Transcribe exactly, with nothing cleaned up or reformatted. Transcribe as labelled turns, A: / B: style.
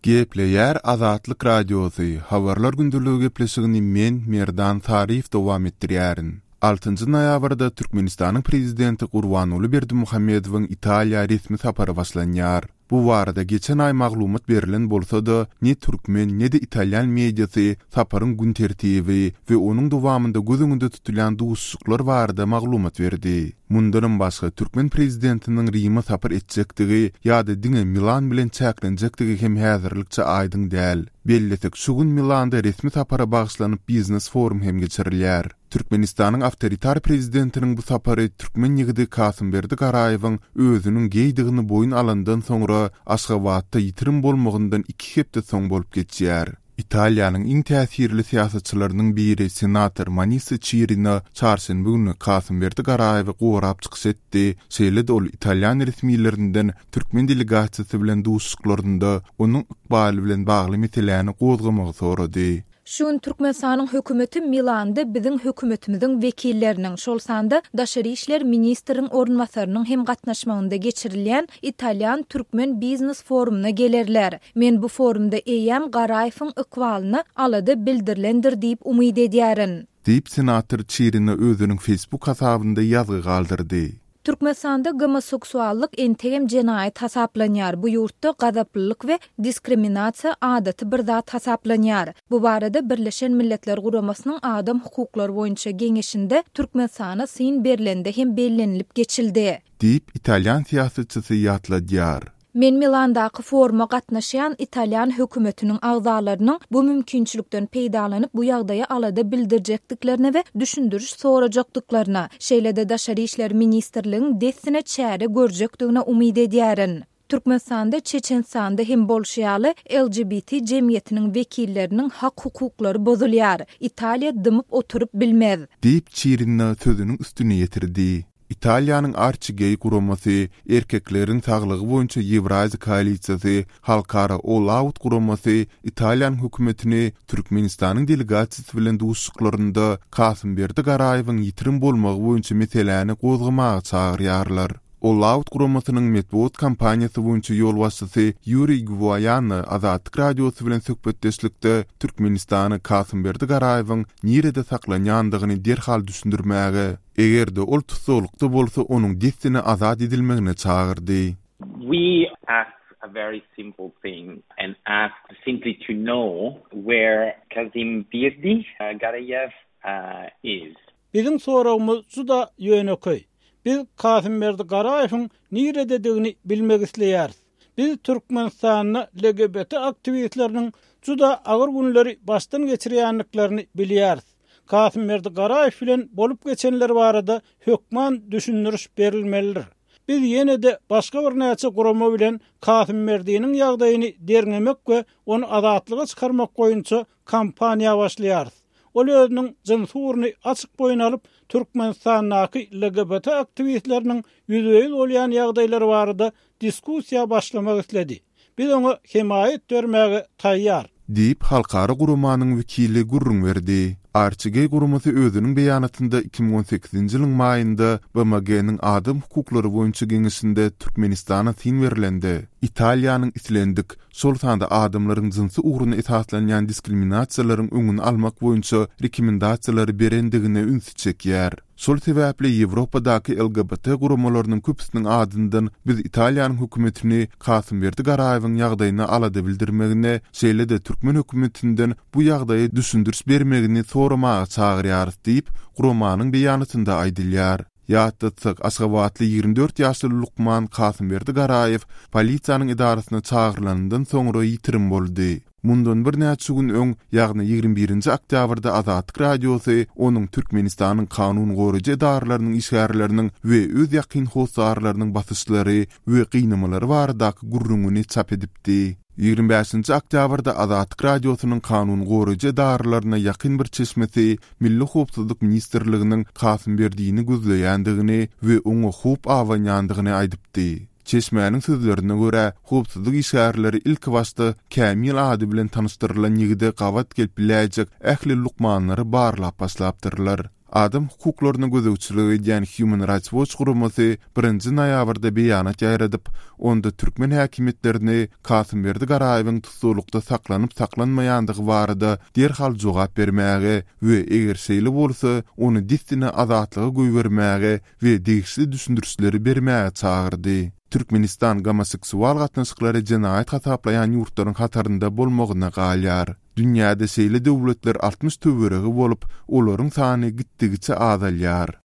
A: Gepleýär Azatlyk Radiosy, Habarlar gündeligi gepleşigini men, Merdan Saryýew dowam etdirýärin. Altynjy noýabrda Türkmenistanyň Prezidenti Gurbanguly Berdimuhamedowyň Italiýa resmi sapary başlanýar. Bu barada geçen aý maglumat berlen bolsa-da, ne türkmen, ne-de italýan mediasy saparyň gün tertibi we onuň dowamynda göz öňünde tutulýan duşuşyklar barada maglumat berdi. Mundanam başga, türkmen prezidentiniň Rime sapar etjekdigi ýa-da diňe Milan bilen çäklenjekdigi hem häzirlikçe aýdyň däl. Bellesek, şu gün Milanda resmi sapara bagyşlanyp biznes-forum hem geçirilýär. Türkmenistanyň awtoritar prezidentiniň bu sapary türkmen ýigidi Kasymberdi Garaýewiň özüniň geýdigini boýun alandan soňra Aşgabatda ýitirim bolmagyndan iki hepde soň bolup geçýär. Italiýanyň iň täsirli syýasatçylarynyň biri senator Manisa Çirina çarşenbe güni Kasymberdi Garaýewi gorap çykyş etdi, şeýle-de ol italýan resmilerinden türkmen delegasiýasy bilen duşuşyklarynda onuň ykbaly bilen bagly meseläni gozgamagy sorady.
B: Şu gün Türkmenistanyň hökümeti Milanda biziň hökümetimiziň wekilleriniň, şol sanda daşary işler ministriň orunbasarynyň hem gatnaşmagynda geçirilýän italýan-türkmen biznes forumyna gelerler. Men bu forumda eýýäm Garaýewiň ykbalyna alada bildirilendir diýip umyt edýärin.
A: Diýip, senator Çirina özüniň Facebook hasabynda ýazgy galdyrdy.
B: Türkmenistanda gomoseksuallyk entegem jenaýat hasaplanýar, bu ýurtda gazaplylyk we diskriminasiýa adaty bir zat hasaplanýar. Bu barada Birleşen Milletler Guramasynyň Adam hukuklary boýunça geňeşinde Türkmenistana syn berlende hem bellenilip geçildi.
A: Diýip, italýan syýasatçysy ýatladýar.
B: Men Milandaky foruma gatnaşýan italýan hökümetiniň agzalarynyň bu mümkinçilikden peýdalanyp bu ýagdaýa alada bildirjekdiklerine we düşündiriş sorajakdyklaryna, şeýle-de Daşary işler ministrligiň dessine çäre görjekdigine umyt edýärin. Türkmenistanda Çeçenistanda hem bolşy ýaly L G B T jemgyýetiniň wekilleriniň hak-hukuklary bozulýar. Italiýa dymyp oturyp bilmez.
A: Diýip, Çirina sözüniň üstüni ýetirdi. Italiýanyň Arçigeý guramasy, Erkekleriň saglygy boýunça Ýewraziýa koalisiýasy, Halkara All Out guramasy Italiýanyň hökümetini Türkmenistanyň delegasiýasy bilen duşuşyklarynda Kasymberdi Garaýewiň ýitirim bolmagy boýunça meseläni gozgamaga çagyrýarlar. All Out guramasynyň metbugat kampaniýasy boýunça ýolbaşçysy Ýuriý Gwaýano Azatlyk Radiosy bilen söhbetdeşlikde Türkmenistany Kasymberdi Garaýewiň nirede saklanýandygyny derhal düşündirmäge, eger-de ol tussaglykda bolsa onuň dessine azat edilmegine çagyrdy.
C: We ask a very simple thing and ask simply to know where Kazimbirdi Garayev is.
D: Biziň soragymyz juda ýönekeý. Biz Kasymberdi Garaýewiň nirededigini bilmek isleýäris. Biz Türkmenistanda L G B T aktiwistleriniň juda agyr günleri başdan geçirýändiklerini bilýäris. Kasymberdi Garaýew bilen bolup geçenler barada hökman düşündiriş berilmelidir. Biz ýene-de başga birnäçe gurama bilen Kasymberdiniň ýagdaýyny derňemek we ony azatlyga çykarmak boýunça kampaniýa başlaýarys. Ol özüniň jynsy ugruny açyk boýun alyp, Türkmenistandaky L G B T aktiwistleriniň ýüzbe-ýüz bolýan ýagdaýlary barada diskussiýa başlamak isledi. Biz oňa hemaýat bermäge taýýar.
A: Diýip, halkara guramanyň wekili gürrüň berdi. Arçigeý guramasy özüniň beýanatynda iki müň on sekizinji ýylyň maýynda B M G-niň Adam hukuklary boýunça geňeşinde Türkmenistana syn berlende, Italiýanyň islendik, şol sanda adamlaryň jynsy ugruna esaslanýan diskriminasiýalaryň öňüni almak boýunça rekomendasiýalary berendigine ünsi çekýär. Şol sebäpli Ýewropadaky L G B T guramalarynyň köpüsiniň adyndan biz Italiýanyň hökümetini Kasymberdi Garaýewiň ýagdaýyna alada bildirmegine, şeýle-de türkmen hökümetinden bu ýagdaýa düşündiriş bermegini soramaga çagyrýarys diýip, guramanyň beýanatynda aýdylýar. Ýatlatsak, Aşgabatly ýigrimi dört ýaşly lukman Kasymberdi Garaýew polisiýanyň edarasyna çagyrylandan soňra ýitirim boldy. Mundan birnäçe gün öň, ýagny ýigrimi birinji oktýabrda Azatlyk Radiosy onuň Türkmenistanyň kanun goraýjy edaralarynyň işgärleriniň we öz ýakyn hossarlarynyň basyşlary we gynamalary baradaky gürrüňini çap edipdi. Ýigrimi bäşinji oktýabrda Azatlyk Radiosynyň kanun goraýjy edaralaryna ýakyn bir çeşmesi Milli howpsuzlyk ministrliginiň Kasymberdini gözleýändigini we oňa howp abanýandygyny aýdypdy. Çeşmäniň sözlerine görä, howpsuzlyk işgärleri ilki başda Kämil ady bilen tanyşdyrylan ýigide gabat gelip biläýjek ähli lukmanlary barlap başlapdyrlar. Adam hukuklaryna gözegçilik edýän Human Rights Watch guramasy birinji noýabrda beýanat ýaýradyp, onda türkmen häkimiýetlerini Kasymberdi Garaýewiň tussaglykda saklanyp-saklanmaýandygy barada derhal jogap bermäge we eger şeýle bolsa, ony dessine azatlyga goýbermäge we degişli düşündirişleri bermäge çagyrdy. Türkmenistan gomoseksual gatnaşyklary jenaýat hasaplaýan ýurtlaryň hatarynda bolmagyna galýar. Dünýäde şeýle döwletler altmyş töweregi bolup, olaryň sany gitdigiçe azalýar.